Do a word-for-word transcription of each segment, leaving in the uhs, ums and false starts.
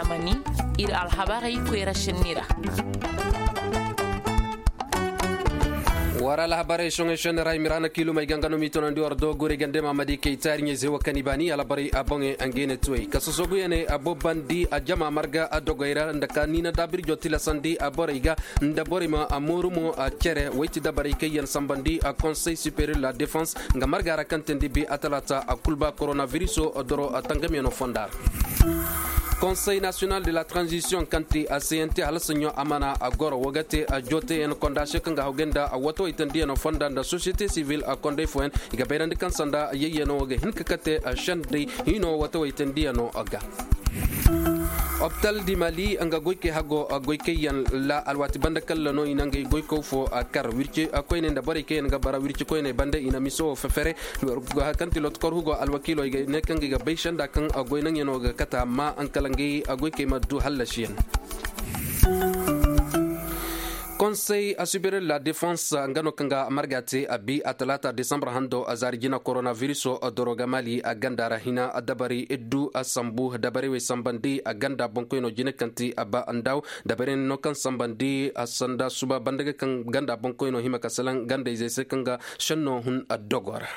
Amani, ir alhabarey koyra šenni ra. War alhabarey soŋey šenni ra i ma ra na kiilumey ga nga no m'i tonandi war do gure gande ma madi kay taari ɲey zewa kani baani alhabarey a boŋey a ngey ne tuwey ka sosoguyaney a bobandi a jama marga a dogey ra nda ka niina daabirjo tilasandi a borey ga nda borey ma a mooru mo a cere woy ti dabarey kaŋ yaŋ sambandi a konsey superiyor la defense nga marga ra kaŋ teendi bi a talaata a kul ba koronabiriso doro tangamyano fonda ra. Konsey nasiyonal de la transisiyoŋ kaŋ ti a cnt hala saɲɲo a mana a goro wo ga te a jooteyaŋ konda se kaŋ ga hawgay nda a watawey teendiyaŋo fonda nda sosiyete sivil a kondey fooyaŋ i ga bayrandi kaŋ sanda yayyano wo ga hin ka kate a šendey hino watawey teendiyaŋo ga. Opital di mali nga goykey hago goykey yaŋ la alwaati banda kalla no i na ngey goykaw fo a kar wirci koyney nda borey kaŋ yaŋ ga bara wirci koyney banda i na miso wo fefere. Kaŋ ti lotokor hugo alwakiilo i ga ne kaŋ ga i ga bay senda kaŋ goy naŋyano ga kata amma ankala ngey goykey ma du hallasiyaŋ. Konsey asubirel la defense nga no kaŋ ga marga te a bi a talaata desambar hando a zaari jina koronabiriso doroga mali a ganda ra hina dabari iddu a sambu dabarey wey sambandi a ganda boŋkoyno jine kaŋ ti a ba ndaw dabarey no kaŋ sambandi a sanda suba banda ga kaŋ ganda boŋkoyno hima ka salaŋ gandayzey se kaŋ ga senno hun a dogo ra.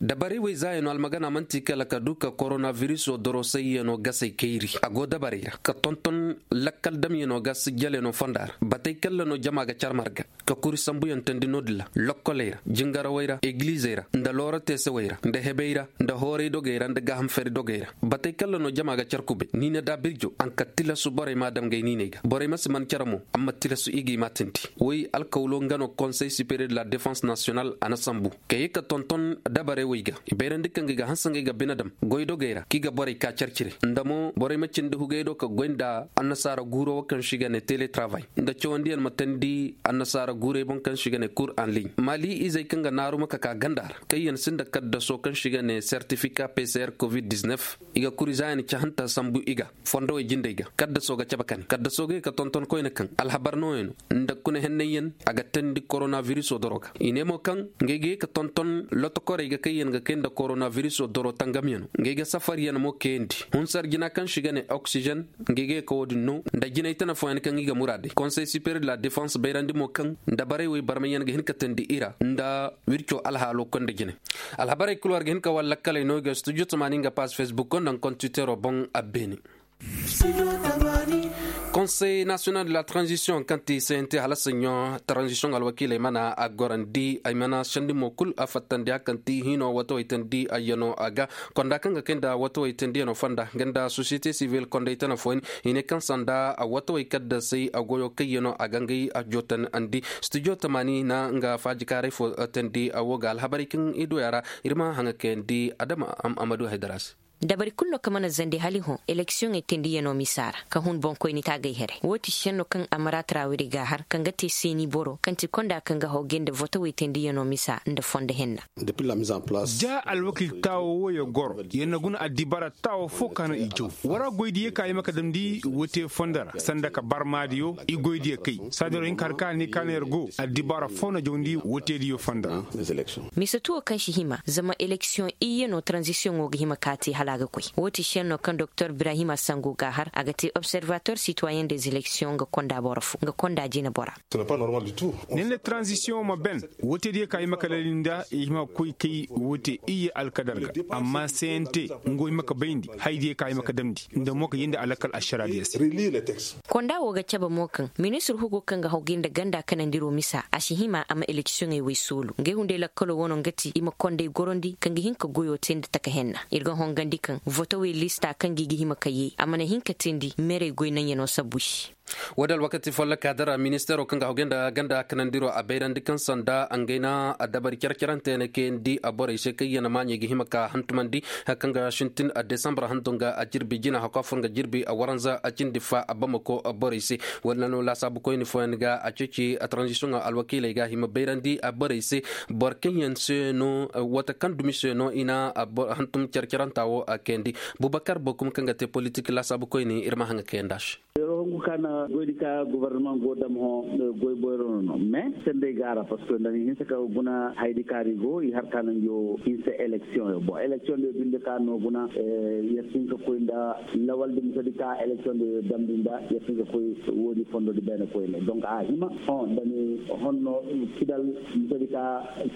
Dabarey wey zaayano almagana manti kala ka du ka koronabiriso doro sayyano gasey kayri a go dabarey ra ka tonton lakkal damyano ga sijjaleno fonda ra batey kalla no jama ga car marga ka kuri sambuyaŋ teendi no-din ra lokkoley ra jingarawey ra egilizey ra nda looro teesewey ra nda hebey ra nda hooray dogey ra nda gaaham fari dogey ra batey kalla no jama ga car kubay niina daabirjo a nka tilasu borey ma dam gay niiney ga borey ma si man care mo amma tilasu i g'i ma teendi woy alkawlo nga no konsey superiyor de la defense nasiyonal a na sambu ka ye ka tonton dabarey wey ga i bayrandi kaŋ ga i ga hanse ngey ga bine dam goy dogey ra kaŋ i ga borey ka car cire nda mo borey ma cindi hugey do ka goy nda annasaara guuro wo kaŋ se i ga ne teletravail nda cawandiyaŋ ma teendi annasaara guurey boŋ kaŋ se i ga ne kur en ligne mali izey kaŋ ga naaru ma ka ka ganda ra kaŋ yaŋ sinda kaddaso kaŋ se i ga ne sertifika pcr covid-19 i ga kuri zaayan cahanta sambu i ga fondowey jindey ga kaddaso ga cabe kane kaddaso ga ye ka tonton koyne kaŋ alhabar nooyaŋ no nda kuna hennayyaŋ a ga teendi koronabiriso doro ga i ne mo kaŋ ngey ga ye ka tonton lotokorey ga kaŋ yaŋ ga kay nda koronabiriso doro tangamyaŋo ngey ga safaryaŋ mo kayandi hunsar jina kaŋ se i ga ne oksijen ngey ga ye ka wo-din no nda jinay tana fooyaŋ kaŋ i ga muraadey konsey superiyor de la defense bayrandi mo kaŋ dabarey wey barmayyaŋ ga hin ka teendi i ra nda wirco alhaalo konda jine alhabarey kul war ga hin ka war lakkaley no i ga studio tamaani nga paas facebook nda nga kontitero boŋ a beene. Konsey nasiyonal de la transisiyoŋ kaŋ ti cnt hala saɲɲo transisiyoŋ alwakiiley mana a gorandi ay mana sendi mo kul a fattandi a kaŋ ti hino watawey teendi ayyano a ga konda kaŋ ga kay nda watawey teendiyaŋo fonda nga nda sosiyete sivil kondey tana fooyaŋ i ne kaŋ sanda a watawey kaddasey a goyo kayyano a ga ngey a jootanandi studio tamaani na nga faajikaaray fo teendi a wo ga alhabarey kaŋ i du ya ra ir ma haŋa kayandi adama amadu haydara se. Dabari kulu no kaŋ mana zandi hala i hõ eleksiyoŋey teendiyaŋo misa ra ka hun boŋkoyni taagay here wo ti senno kaŋ amara tarawiri ga a har kaŋ ga te seeni boro kaŋ ti konda kaŋ ga hawgay nda votowey teendiyaŋo misa nda fondo henna. Da alwakil taawo wooyo goro yer na guna addibaara taawo fo ka no i jaw. War a goy diya ka i ma ka damndi woote fondo ra sanda ka barmaadiyo i goy diya kay saadiro hinka har ka ne ka no yer go addibaara fo na jawndi wootediyo fondo ra. Mise tuwo kaŋ si hima zama eleksiyoŋ iyye no taranzisiyoŋo ga hima ka te hala a ga koy woo ti senno kaŋ doktor birahima sango ga a har a ga te observator sitoyen des eleksiyoŋ nga konda boro fo nga konda jinebora. Nenne taranzisiyoŋo ma ben woote diyo ka i ma ka lalli nda i hima ga koy kay woote iyye alkadar ga amma cnt ngo i ma ka bayndi haya diyo ka i ma ka damndi nda mo ka yee nda alakal ašara diyo se. Konda wo ga cabe mo kaŋ ministir hugo kaŋ ga hawgay nda ganda kanandiro misa a si hima a ma eleksiyoŋey wey soolu ngey hunday lakkalo wano nga ti i ma konday gorandi kaŋ ga hin ka goyo te nda taka henna ir ga hongandi kaŋ votowey lista kaŋ ga i ga hima ka yee a mana hin ka teendi merey goy naŋyano sabbu se. Wo- din alwakati folloka dara ministeero kaŋ ga hawgay nda ganda kanandiro a bayrandi kaŋ sanda ngey na dabari care-carante yaŋ kayandi borey se kaŋ yaŋ maaɲey ga hima ka hantumandi hari kaŋ ga sintin desambar handu nga a jirbi jina hakwa fur nga jirbi a waranza a cindi fa a bamako borey se. Wala no laasaabu koyne fooyaŋ ga a ceeci a taranzisiyoŋ alwakiiley ga hima bayrandi borey se boro kaŋ yaŋ se no wata kaŋ dumi se no i na hantum care-caranta wo kayandi. Bubakar bokum kaŋ ga te politik laasaabu koyne ir ma haŋa kayandi a se. Kaana goydi ka gobornamaŋ go dam hõ, goy boyro no no mais senday gaara parceque nda ni hinsa ka guna haydi kaari go i har kaana njo hinsa eleksiyoŋ yo bon eleksiyoŋ yo binde ka no guna. Yer sinka koy nda lawaldi musadi ka eleksiyoŋ yo damdi nda yer sinka koy woodi fondodi beene koy ne donc a hima hõ nda ni honno kidal musadi ka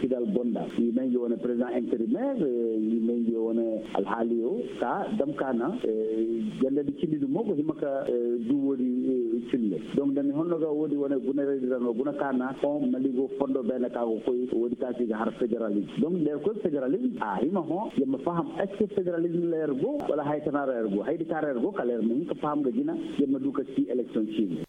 kidal gonda i may njo wane président intérimaire i may njo wane alhaaliyo ka dam kaana. Gandadi cindi dumo go hima ka du woodi cille donc da ni honno ga woodi wane guna redi ra no guna kaana hõ mali go fondo beene ka go koy woodi ka si ga har fédéralisme donc da yer koy fédéralisme a hima hõ yer ma faham est ce que fédéralisme ra yer go wala haya tana ra yer go haydi ka ra yer go kala yer ma hin ka faham ga jina yer ma du ka si élection cindi.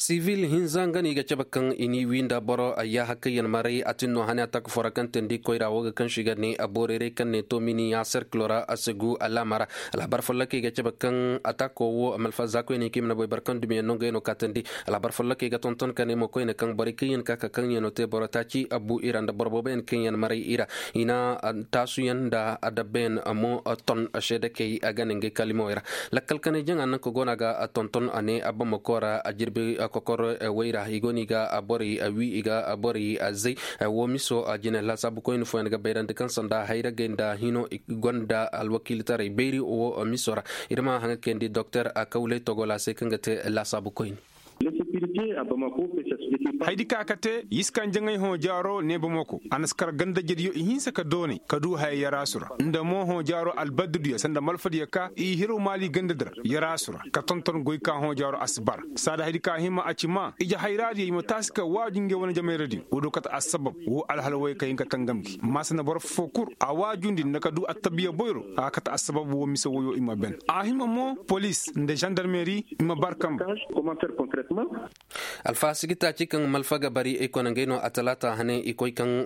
Sivil hinza nga no i ga cabe kaŋ i n'i wii nda boro ayyaha kaŋ yaŋ maray a tin no hane atak foo ra kaŋ teendi koyra woo ga kaŋ se i ga ne a boorayray kaŋ ne tomini ya serkilo ra a si gu alaama ra. Alhabar follokoy ga cabe kaŋ atako woo malfa za koyne kaŋ i mana boy boro kaŋ dumiyaŋ no ngey no ka teendi. Alhabar follokoy ga tonton ka ne mo koyne kaŋ borey kaŋ yaŋ ka ka kaŋ yaŋ no te boro taaci a bu i ra nda boro booboyaŋ kaŋ yaŋ maray i ra. I na taasuyaŋ nda adabbayaŋ mo ton seedekey a ga ne ngey kaalimawey ra. Lakkal kanay jaŋa naŋ ka go no a ga tonton a ne a bamako ra a jirbi kokoro way ra i go no i ga borey wii i ga borey zay. Wo miso jine laasaabu koyne fooyaŋ ga bayrandi kaŋ sanda hayragey nda hino i gonda alwakiilitaray bayri wo miso ra. Ir ma haŋa kayandi doktor a kawlay togola se kaŋ ga te laasaabu koyne. Haydi ka ka te yiskan jaŋay hõ jaaro ne bamako a na si kar gandajediyo i hinsa ka doonay ka du haya yaraasu ra nda mo hõ jaaro albaddudiyo sanda malfadiyo ka i hiro maali gandadi ra yaraasu ra ka tonton goy ka hõ jaaro a si bara. Saada haydi ka hima a ci maa ije hayraadiyo i ma taasi ka waaju ngey wane jamayradiyo wo do kate assabab wo alhala woy ka hin ka tangam gi maa sanda boro foo kul a waajundi nda ka du attabiya boyro a kate assabab wo mise woyo i ma ben a hima mo polis nda zandarmeri i ma bar kamba. Alfaha sigi taaci kaŋ malfa ga bari i kone ngey no a talaata hane i koy kaŋ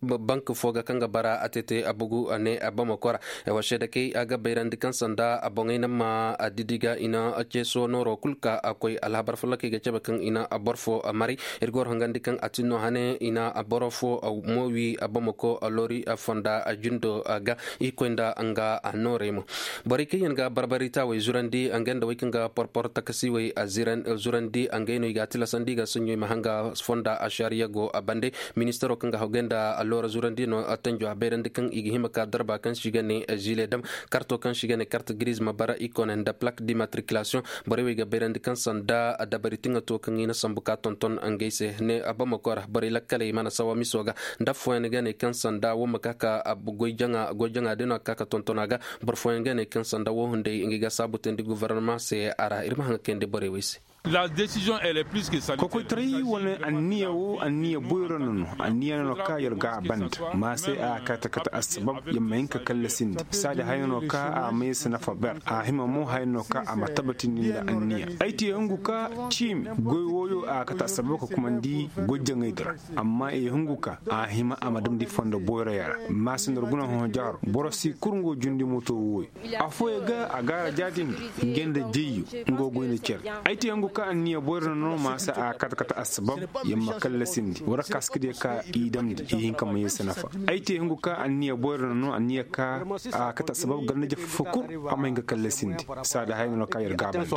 bank foo ga kaŋ ga bara a tete a bugu a ne a bamako ra. Ay wa seede kay a ga bayrandi kaŋ sanda a boŋey na ma a didi ga i na ceeso nooro kul ka a koy alhabar follokoy ga cabe kaŋ i na a boro foo a maray. Ir ga war hangandi kaŋ a tin no hane i na a boro foo a mo wi a bamako a loori a fonda a jindo a ga i koy nda nga a noorey mo. Borey kaŋ yaŋ ga barbari taawey zurandi a nga nda wey kaŋ ga porpor takasiwey a zurandi a ngey no i ga a tilasandi i ga saɲɲo i ma hanga fonda a šariya go a bande. Ministaro kaŋ ga hawgay nda a loora zurandi no a tanjo a bayrandi kaŋ i ga hima ka darba kaŋ se i ga ne zile dam karto kaŋ se i ga ne kart giriz ma bara i kone nda plak dimatrikilasiyoŋ. Borey wey ga bayrandi kaŋ sanda dabari tiŋa to kaŋ i na sambu ka tonton ngey se ne a bamako ra borey lakkaley mana sawa miso ga nda affooyaŋ ga ne kaŋ sanda wo ma ka ka goy jaŋa din no a ga ka ka tonton a ga. Boro fooyaŋ ga ne kaŋ sanda wo hunday ngey ga saabu teendi gofornama se a ra ir ma haŋa kayandi borey wey se. Kokoytaray wane anniya wo anniya boyro no no anniya no no ka yer ga a banda. Ma se a kate kate assabab yer ma hin ka kallasindi saadi haya no ka a ma yer si nafa ber a hima mo haya no ka a ma tabatindi nda anniya ay te hungu ka ciimi goy wooyo a kate assabab ka kumandi goy jaŋay di ra. Amma i hungu ka a hima a ma damndi fondo boyroyaŋ ra. Maasindar guna hõ jaaro boro si kurngo jundi moto wooyo. Affooyaŋ ga a gaara jaatindi nge nda jayyo. Nga goy nda cere ay te hungu ka anniya boyro na no maasa a kata kata assabab. Yer ma kallasindi war kaskadiyo ka i damndi i hin ka ma yer si nafa. Ay te hungu ka anniya boyro na no anniya ka a kata assabab gar na jafa fo kul. A ma hin ka kallasindi saada haya no ka yer gaabandi.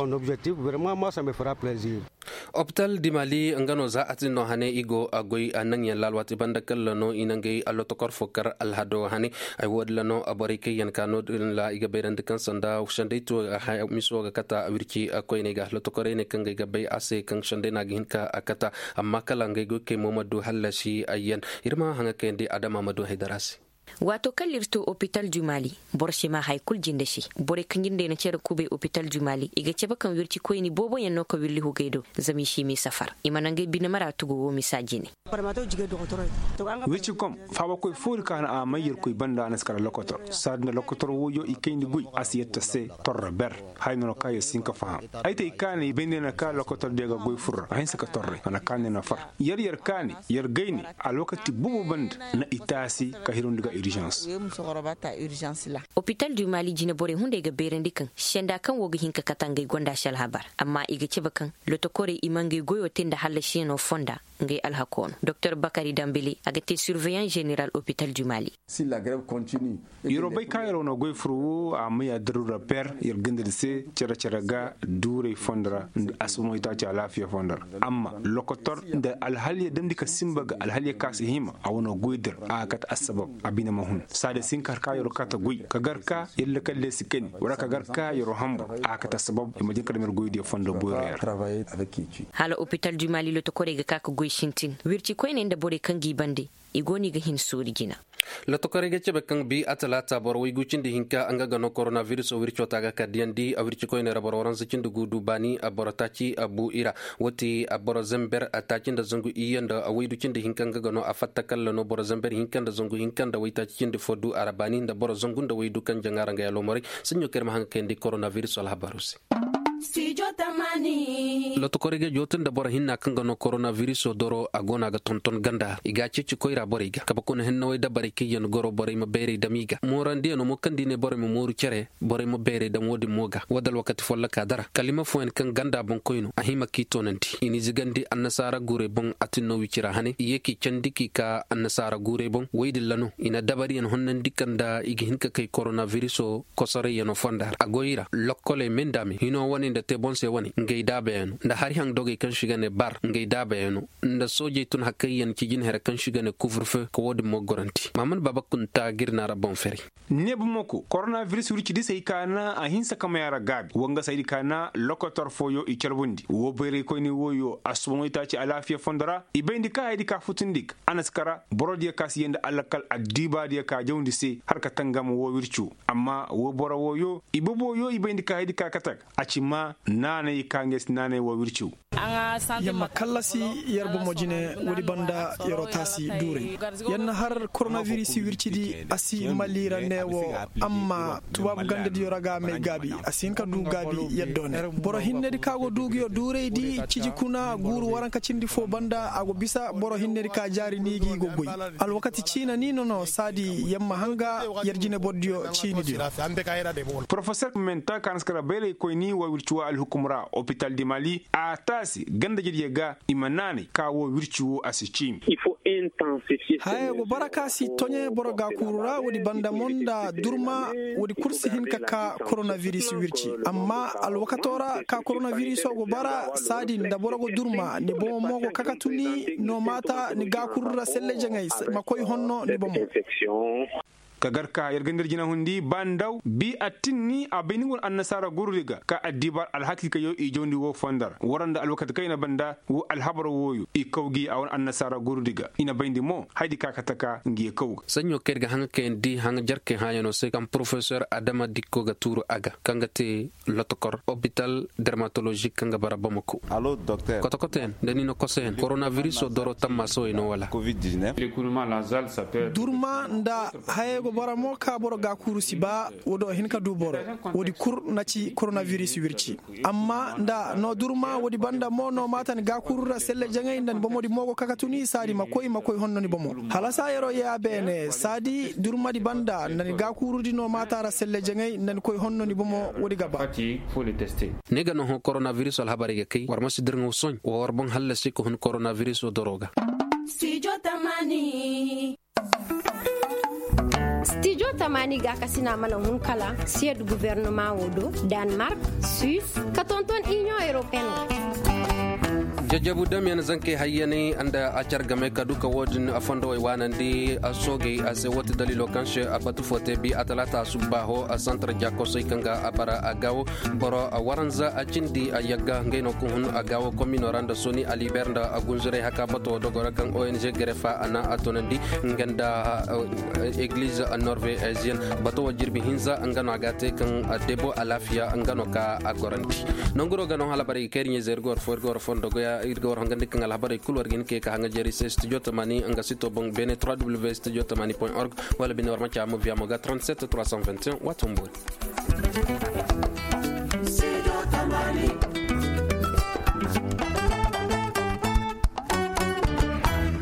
Opital di mali nga no za a tin no hane i go a goy a naŋyaŋ laal waati banda kalla no i na ngey allotokor fo kar alhado hane. Ay woodin ra no borey kaŋ yaŋ ka no-din ra i ga bayrandi kaŋ sanda sendey to. Miso ga kata wirci koyney ga allotokorey ne kaŋ ga ay ga bay a se kaŋ sendey no a ga hin ka kata. Amma kala ngey goykey mo ma du hallasi ayyaŋ. Ir ma haŋa kayandi adama ma du haydara se. Waato kala ir to opital du mali, boro si maa haya kul jinde se. Borey kaŋ jindey na cere kubay opital du mali i ga cabe kaŋ wirci koyni booboyaŋ no ka willi hugey do. Zama i si m'i safar i mana ngey bine mara tugu wo misa jine. Wirci kom faabakoy foori ka na a may yerkoy banda a na si kala lokotor saadi nda lokotor woyo i kayndi goy a si yetta se. Torro ber haya no no ka yer si hin ka faham. Ay te i kaanay bayndi na ka lokotor diyo ga goy furra a hinsa ka torray a na kaanay na far. Yer yer kaani yer gayni alwakati boobo banda. Na i taasi ka hirandi ga irizans. Opital du mali jine borey hunday ga bayrandi kaŋ senda kaŋ wo ga hin ka kata ngey gonda si alhabar amma i ga cabe kaŋ lotokorey i ma ngey goyo te nda hallasiyaŋo fonda. Ngey alhakoo no doktor bakari dambili a ga te surveillant general hopital du mali. Yeroo bay ka yeroo na goy fur woo a ma yaa daruura per yer ganda di se cere-cere ga duuray fondo ra nda asumay taaci alaafiya fondo ra. Amma lokotor nda alhaliya damndi ka sinba ga alhaliya ka si hima a wane goy dir a ga kate assabab a bine ma hun saada si hin ka har ka yeroo kaate goy ka gar ka yer lakkal diya si kani wala ka gar ka yeroo hanbur a ga kate assabab i ma jin ka dam yer goy diya fondo boyro yer. Hala hopital du mali lotokorey ga ka ga goy sintin wirci koyney nda borey kaŋ g'i bande i go no i ga hin suuri jina. Lotokorey ga cebe kaŋ bi a talaata boro waygu cindi hinka nga ga no korona viriso wirco ta ga ka diyandi a wirci koyney ra boro waranza cindi gu du baani a boro taaci a bu i ra. Woo ti a boro zember a taaci nda zangu iyye nda a waydu cindi hinka nga ga no a fatta kalla no boro zember hinka nda zangu hinka nda waytaaci cindi fo du a ra baani nda boro zangu nda waydu kaŋ jaŋa ra nga ya loomoray. Saɲɲo kaŋ ir ma haŋ ga kayandi korona viriso alhabaroo se. Lotokorey ga jootu nda boro hinna kaŋ ga no korona viriso doro a go no a ga tonton ganda i ga a ceeci koyra borey ga kabe kuna hennawey dabarey kaŋ yaŋ goro borey ma bayray dam i ga moorandiyaŋo mo kaŋ da i ne borey ma mooru cere borey ma bayray dam woo din mo ga woo da alwakati folloka dara kalima fooyaŋ kaŋ ganda boŋkoy no a hima k'i toonandi i n'i zigandi annasaara guurey boŋ a tin no wicira hane i ye k'i candi k'i ka annasaara guurey boŋ woy din ra no i na dabariyaŋ honnandi kaŋ nda i ga hin ka kay korona viriso kosorayyaŋo fonda ra a goy ra lokkoley me nda me hino wane nda te boŋ se wane ngey daabayaŋo nda hari haŋ dogey kaŋ se i ga ne bar ngey daabayaŋo nda soojey tun hakayyaŋ ci jinhere kaŋ se i ga ne kuvrfe ka woo din mo goranti maamad baaba kunta ga ir na ra boŋ fere. Ne bamako korona viris wirci di se hay ka na a hinsa ka may a ra gaabi woo nga se hay di ka na lokotor fooyo i carbundi woo bayraykoyni wooyo asuba moytaaci alaafiya fondo ra i bayndi ka hay di ka futundi ga a na si kara boro diya ka si yee nda alakal addiiba diya ka jawndi se har ka tangam woo wircu amma woo boro wooyo i boboyo i bayndi ka hay di ka kate ga a ci ma naanay ka ngey si naanay woo wircu. Yamma kallasi yer bomo jine woodi banda yeroo taasi duuray yer na har koronaviris wircidi a si maliira neewo. Amma tubaabu gandadiyo ra ga may gaabi a si hin ka du gaabi yaddo ne boro hinnedi ka go du nguyo duuraydi ciji kuna guuru waranka cindi foo banda a go bisa boro hinnedi ka jaari ni gi go goy. Alwakati ciina ni no no saadi yamma hanga yer jine bordiyo ciinidiyo. Porofesor menta ka na si kara bayraykoyni wa wirciwa alhukum ra opital di mali a taasi ganda jediyo ga i ma naanay ka wo wirci wo a si ciimi. Hayey go bara ka si toɲe boro gaakuuru ra woodi banda mo nda durma woodi kul si hin ka ka koronaviris wirci. Amma alwakato ra ka koronaviriso go bara saadi nda boro go durma ni bomo mo go kakatu ni no maata ni gaakuuru ra selle jaŋay ma koy honno ni bomo. Ka gar ka yer ga nda ir jinahundi ba ndaw bi attinni a bay ni go no annasaara gurudi ga ka addiibar alhakikayyo i jawndi woo fondo ra war nda alwakati kaŋ i na banda woo alhabar wooyo i kaw gi a wane annasaara gurudi ga i na bayndi mo haydi ka ka taka ngi ye kaw ga. Saɲɲo kaŋ ir ga haŋa kayandi haŋa jarkey hãayanoo se kaŋ porofesor adama dikko ga tuuru a ga kaŋ ga te lotokor opital dermatolozik kaŋ ga bara bamako. Kotokotoyaŋ nda ni na kosoyaŋ koronaviriso doro tammaasawey no wala? Durma nda hayey go bara mo ka boro gaakuuru si ba woodi a hin ka du boro. Woodi kul na ci koronaviris wirci. Amma nda no durma woodi banda mo no maata ni gaakuuru ra selle jaŋay nda ni bomodi mo go kakatu ni saadi ma koy ma koy honno ni bomo. Halasa yeroo yee a beene saadi durmadi banda nda ni gaakuurudi no maata ra selle jaŋay nda ni koy honno ni bomo woodi ga ba. Ne ga no hõ koronaviris alhabarey ga kay war ma si dirŋaw soɲ wa war boŋ hallasi ka hun koronaviris wo doro ga. Stijo tamaani gaakasina mana hun kala siyed guvernama wo do, danmark, suis, ka tonton inion europeen. Jajabu damyan zankey hayyaney nda a car game ka du ka wo-din a fondowey waanandi a soogey a se woo ti daliilo kaŋ se a batu fo te bi a talaata subba ho a santar jaakosey kaŋ ga a bara a gaawo. Boro a waranza a cindi a yagga ngey no ka hun a gaawo komino ra nda soni aliber nda a gunzurey haka bato dogo ra kaŋ ong grefa a na a tunandi nga nda egliz norveziyen. Bato wo jirbi hinza nga no a ga a te kaŋ debo alaafiya nga no ka a gorandi. Nanguro ga no halabarey ga kay ir ɲayzey ir ga war fo ir ga war fondo goya ir ga war hongandi kaŋ alhabarey kulu war ga hin kay ka haŋa jeeri se studio tamani nga sito boŋ bene trois w studio tamani point org. Wala bine war ma caa mo viya mo ga trente sept trois cent vingt et un waato mboori.